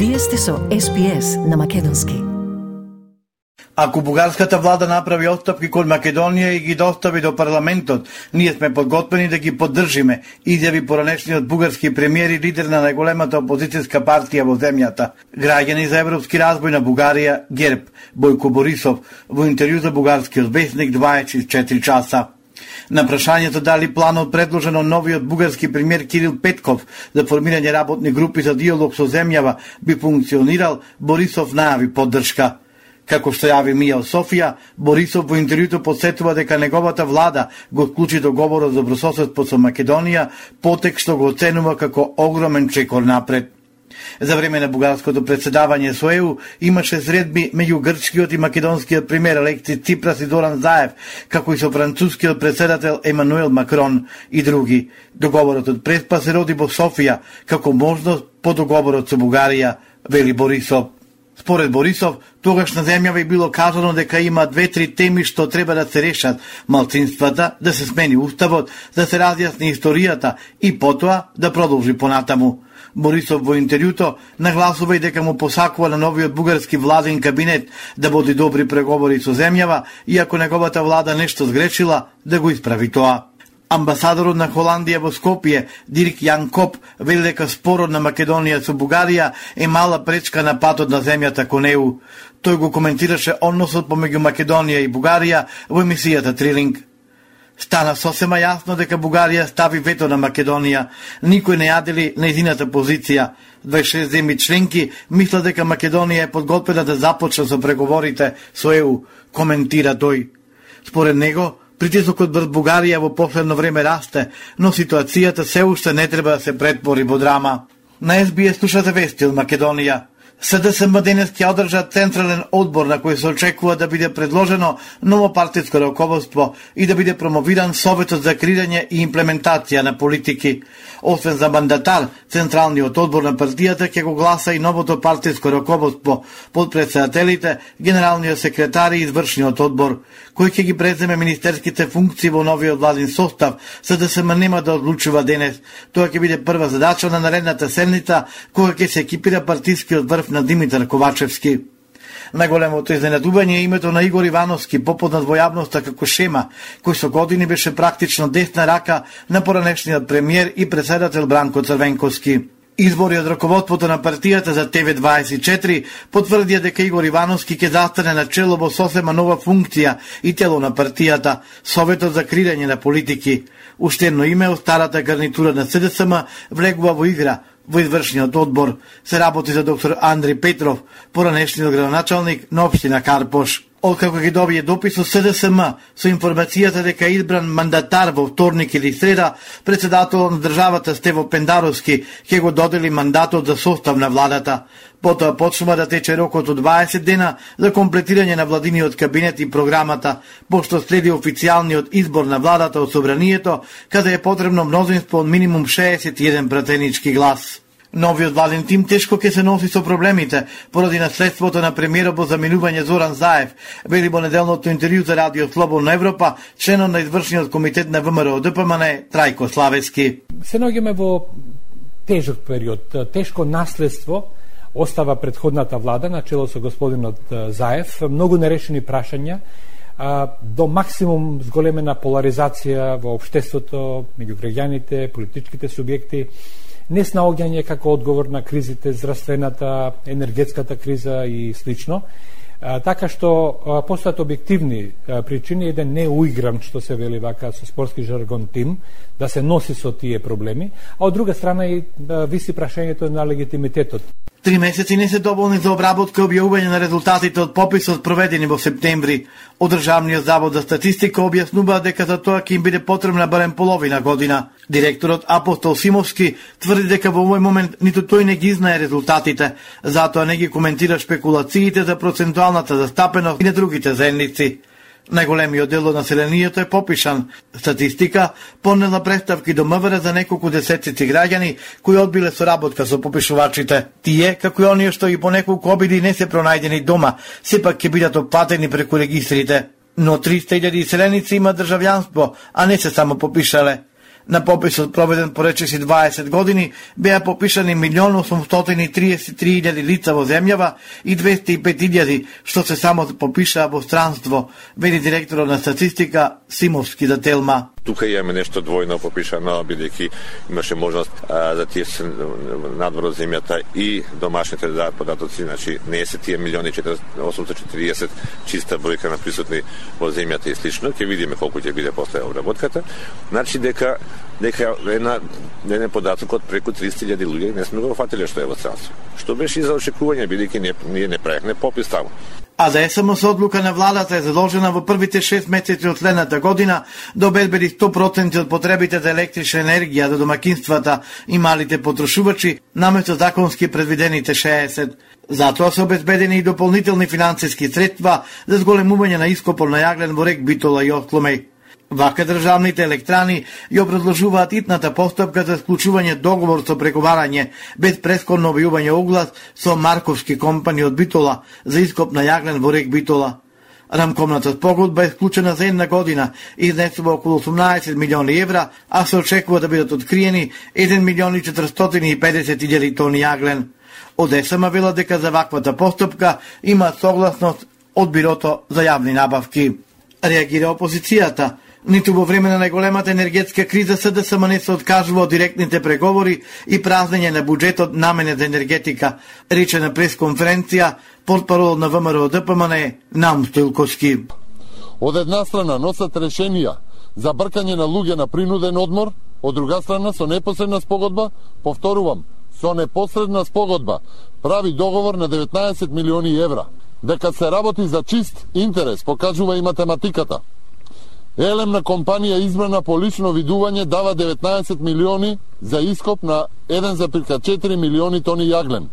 Вие сте со SPS на македонски. Ако бугарската влада направи отстапки кон Македонија и ги достави до парламентот, ние сме подготвени да ги поддржиме, изјави поранешниот бугарски премиер и лидер на најголемата опозицијска партија во земјата. Граѓани за европски разбој на Бугарија, ГЕРБ, Бојко Борисов, во интервју за бугарскиот весник 24 часа. На прашањето дали планот предложен од новиот бугарски премиер Кирил Петков за формирање работни групи за диалог со земјава би функционирал, Борисов најави поддршка. Како што јави Мија Софија, Борисов во интервјуто подсетува дека неговата влада го вклучи договорот за добрососедство со Македонија, потек што го оценува како огромен чекор напред. За време на бугарското председавање со ЕУ имаше средби меѓу грчкиот и македонскиот премиер Алексис Ципрас и Зоран Заев, како и со францускиот председател Емануел Макрон и други. Договорот од Преспа се роди во Софија како можност по договорот со Бугарија, вели Борисов. Според Борисов, тогаш на земјава и било кажано дека има 2-3 теми што треба да се решат: малцинствата, да се смени уставот, да се разјасни историјата и потоа да продолжи понатаму. Борисов во интервјуто нагласува и дека му посакува на новиот бугарски владен кабинет да води добри преговори со земјава и ако неговата влада нешто сгрешила, да го исправи тоа. Амбасадорот на Холандија во Скопје, Дирк Јан Коп, вели дека спорот на Македонија со Бугарија е мала пречка на патот на земјата кон ЕУ. Тој го коментираше односот помеѓу Македонија и Бугарија во емисијата Трилинг. Стана сосема јасно дека Бугарија стави вето на Македонија. Никој не ја дели нејзината позиција. 26 земји членки мислат дека Македонија е подготвена да започне со преговорите со ЕУ, коментира тој. Според него, притисокот врз Бугарија во последно време расте, но ситуацијата се уште не треба да се претвори во драма. На СБС слушате вести од Македонија. СДСМ денес ќе одржа централен одбор на кој се очекува да биде предложено ново партиско раководство и да биде промовиран Советот за креирање и имплементација на политики. Освен за мандатар, централниот одбор на партијата ќе го гласа и новото партиско раководство, подпредседателите, генералниот секретар и извршниот одбор. Кој ќе ги преземе министерските функции во новиот владин состав, СДСМ нема да одлучува денес. Тоа ќе биде прва задача на наредната седница, кога ќе се екипира партискиот врв на Димитар Ковачевски. Најголемото изненадување е името на Игор Ивановски, попознат во јавноста како Шема, кој со години беше практично десна рака на поранешниот премиер и председател Бранко Црвенковски. Избори од раководството на партијата за ТВ24 потврдија дека Игор Ивановски ќе застане на чело во сосема нова функција и тело на партијата, Советот за креирање на политики. Уште едно име од старата гарнитура на СДСМ влегува во игра. Во извршниот одбор се работи за доктор Андри Петров, поранешниот градоначалник на општина Карпош. Откако ги добие допис од СДСМ со информацијата дека е избран мандатар во вторник или среда, председателот на државата Стево Пендаровски ќе го додели мандатот за состав на владата. Потоа почнува да тече рокот од 20 дена за комплетирање на владиниот кабинет и програмата, пошто следи официјалниот избор на владата од собранието, каде е потребно мнозинство од минимум 61 пратенички глас. Новиот владен тим тешко ќе се носи со проблемите поради наследството на премиерот во заминување Зоран Заев, вели во неделното интервју за Радио Слободна Европа членот на извршниот комитет на ВМРО ДПМН Трајко Славевски. Се наоѓаме во тежок период, тешко наследство остава претходната влада на чело со господинот Заев, многу нерешени прашања, до максимум зголемена поларизација во општеството меѓу граѓаните, политичките субјекти, неснаоѓање како одговор на кризите, здравствената, енергетската криза и слично. Така што постојат објективни причини, еден не уигран, што се вели вака со спортски жаргон тим, да се носи со тие проблеми, а од друга страна и виси прашањето на легитимитетот. 3 месеци не се доволни за обработка и објавување на резултатите од пописот проведени во септември. Од Државниот завод за статистика објаснува дека за тоа ќе им биде потребна барем половина година. Директорот Апостол Симовски тврди дека во овој момент ниту тој не ги знае резултатите, затоа не ги коментира шпекулациите за процентуалната застапеност и на другите заедници. Најголемиот дел од населението е попишан. Статистика понела представки до МВР за неколку десетици граѓани кои одбиле соработка со попишувачите. Тие, како и оние што и по неколку обиди не се пронајдени дома, сепак ќе бидат опатени преку регистрите. Но 300.000 селеници има државјанство, а не се само попишале. На пописот проведен по речиси 20 години беа попишани 1.833.000 лица во земјава и 205.000 што се само попишаа во странство, вели директорот на статистика Симовски за Телма. Тука имаме нешто двојно попишано, бидејќи имаше можност за тие се надвор од земјата и домашните да дадат податоци, значи не се тие 1.840 чиста бројка на присутни во земјата и слично, ќе видиме колку ќе биде после обработката. Значи дека еден податок од преку 300.000 луѓе не сме го фатиле што е во странство. Што беше и за очекување, бидејќи ние не правехме попис таму. А да СМС одлука на владата е задолжена во првите 6 месеци од следната година да обезбеди 100% од потребите за електрична енергија за домакинствата и малите потрошувачи, наместо законски предвидените 60. Затоа се обезбедени и дополнителни финансиски средства за зголемување на ископот на јаглен во рек Битола и Оскломеј. Вака државните електрани ја образложуваат итната постапка за склучување договор со преговарање без претходно објавување оглас со Марковски компани од Битола за ископ на јаглен во рек Битола. Рамкомната спогодба е склучена за една година и изнесува околу 18 милиони евра, а се очекува да бидат откриени 1.450.000 тони јаглен. Од СМ вела дека за ваквата постапка има согласност од Бирото за јавни набавки. Реагира опозицијата. Ниту во време на најголемата енергетска криза СДСМ не се откажува од директните преговори и празнење на буџетот наменет за енергетика, рече на пресконференција портпарол на ВМРО ДПМН Наум Стоилковски. Од една страна носат решенија за бркање на луѓе на принуден одмор, од друга страна со непосредна спогодба, повторувам, со непосредна спогодба, прави договор на 19 милиони евра. Дека се работи за чист интерес, покажува и математиката. Елемна компанија избрана по лично видување дава 19 милиони за ископ на 1,4 милиони тони јаглен.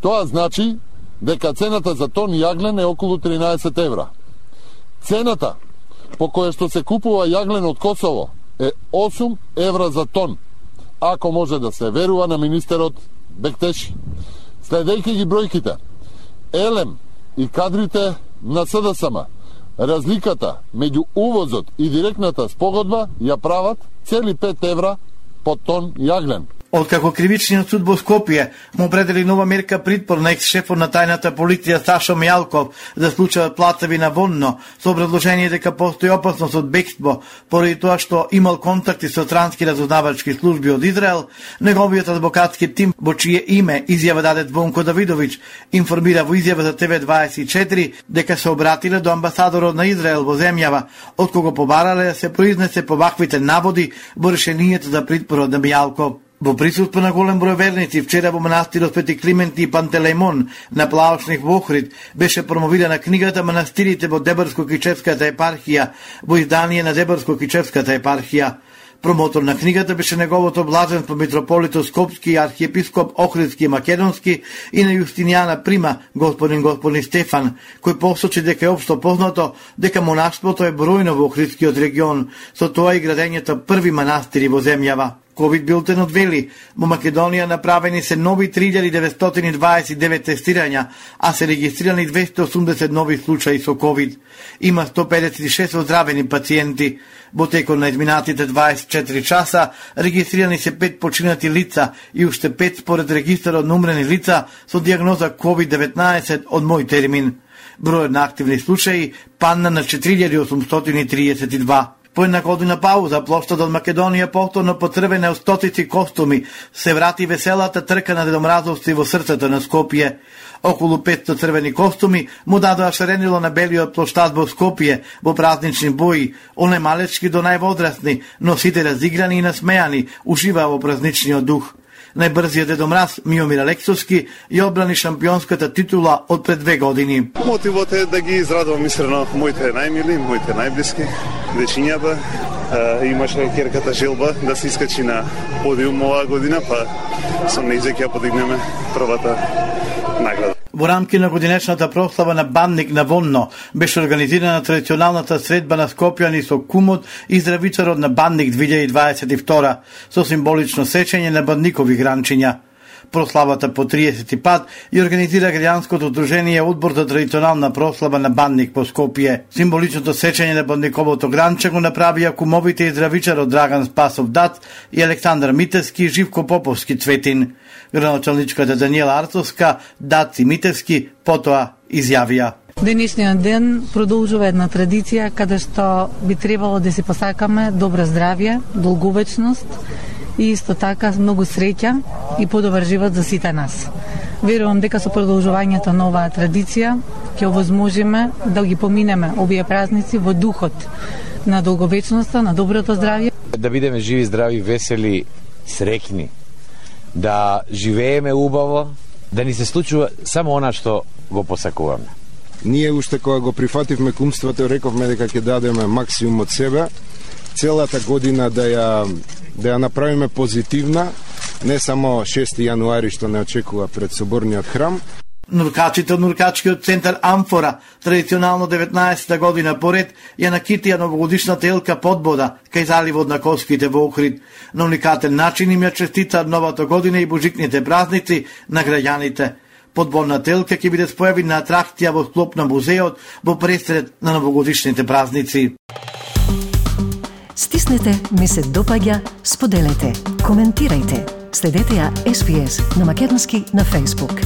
Тоа значи дека цената за тон јаглен е околу 13 евра. Цената по која што се купува јаглен од Косово е 8 евра за тон, ако може да се верува на министерот Бектеши. Следејќи ги бројките, Елем и кадрите на СДСМ, разликата меѓу увозот и директната спогодба ја прават цели 5 евра по тон јаглен. Откако кривичниот суд во Скопје му определи нова мерка притвор на екс-шефот на тајната полиција Сашо Мијалков за случајот Плацеви на Вонно, со образложение дека постои опасност од бегство поради тоа што имал контакти со странски разузнавачки служби од Израел, неговиот адвокатски тим во чие име изјава даде Звонко Давидовиќ информира во изјава за ТВ24 дека се обратиле до амбасадорот на Израел во земјава, од кого побарале да се произнесе по ваквите наводи во решението за притворот на Мијалков. Во присуство на голем број верници, вчера во манастирот Свети Климент и Пантелеймон на Плаошник во Охрид беше промовирана книгата Манастирите во Дебрско-Кичевската епархија во издание на Дебрско-Кичевската епархија. Промотор на книгата беше неговото блаженство митрополито Скопски и архиепископ Охридски и Македонски и на Јустинијана Прима, господин Стефан, кој посочи дека е општо познато дека монаштвото е бројно во Охридскиот регион, со тоа и градењето први манастири во земјава. Ковид билтенот вели, во Македонија направени се нови 3929 тестирања, а се регистрирани 280 нови случаи со ковид. Има 156 оздравени пациенти. Во текот на изминатите 24 часа регистрирани се 5 починати лица и уште 5 според регистарот на умрени лица со диагноза COVID-19 од мој термин. Бројот на активни случаи падна на 4832. По една година пауза, плоштадот Македонија повторно потребена од стотици костуми, се врати веселата трка на дедомразовци во срцето на Скопје. Околу 500 црвени костуми му дадоа шаренило на белиот плоштад во Скопје во празнични бои, од најмалечки до највозрастни, но сите разиграни и насмејани, уживаа во празничниот дух. Најбрзиот дедомраз Миомир Алексовски ја одбрани шампионската титула од пред 2 години. Мотивот е да ги израдувам искрено моите најмили, моите најблиски, дечињата. Имаше керката желба да се искачи на подиум оваа година, па со нејзе ќе подигнеме првата награда. Во рамки на годинешната прослава на Бандник на Вонно беше организирана традиционалната средба на скопјани со кумот и здравичарот на Бандник 2022 со символично сечење на бандникови гранчиња. прославата по 30 пат и организира граѓанското удружение Одбор за традиционална прослава на Бандник по Скопје. Символичното сечење на Бандниковото гранче го направија кумовите и здравичарот Драган Спасов Дац и Александар Митевски и Живко Поповски Цветин. Градоначалничката Даниела Арцовска, Дац и Митевски потоа изјавија: Денешниот ден продолжува една традиција каде што би требало да си посакаме добро здравје, долговечност и исто така многу среќа и подобар живот за сите нас. Верувам дека со продолжувањето на оваа традиција ќе овозможиме да ги поминеме овие празници во духот на долговечноста, на доброто здравје. Да бидеме живи, здрави, весели, среќни, да живееме убаво, да ни се случува само она што го посакуваме. Ние уште кога го прифативме кумството, рековме дека ќе дадеме максимум од себе, целата година да ја направиме позитивна, не само 6 јануари што не очекува пред соборниот храм. Нуркачите од Нуркачкиот центар Амфора, традиционално 19-та година поред, ја накитија новогодишната елка подбода кај заливот на Коските во Охрид. На уникатен начин им ја честитаат новата година и божикните празници на граѓаните. Подборната елка ќе биде спојавина атракција во склоп на музеот во пресред на новогодишните празници. Стиснете, ми се допаѓа, споделете, коментирајте. Следете ја SPS на Македонски на Facebook.